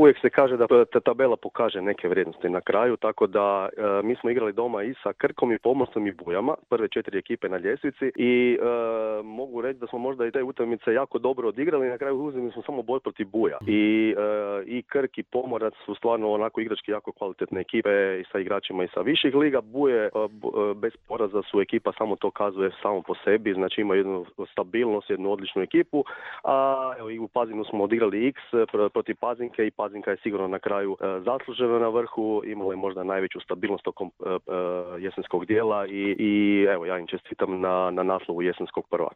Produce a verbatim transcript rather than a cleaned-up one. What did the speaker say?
uvijek se kaže da ta tabela pokaže neke vrijednosti na kraju, tako da e, mi smo igrali doma i sa Krkom i Pomorcem i Bujama, prve četiri ekipe na ljestvici i e, mogu reći da smo možda i te utakmice jako dobro odigrali, na kraju uzeli smo samo boj protiv Buja. I, e, i Krk i Pomorac su stvarno onako igrački jako kvalitetne ekipe i sa igračima i sa viših liga. Buje e, bez poraza su ekipa, samo to kazuje samo po sebi, znači ima jednu stabilnost, jednu odličnu ekipu, a evo, i u Pazinu smo odigrali X protiv Pazinke i Pazinka je sigurno na kraju e, zaslužena na vrhu, imala je možda najveću stabilnost tokom e, e, jesenskog dijela i, i evo ja im čestitam na, na naslovu jesenskog prvaka.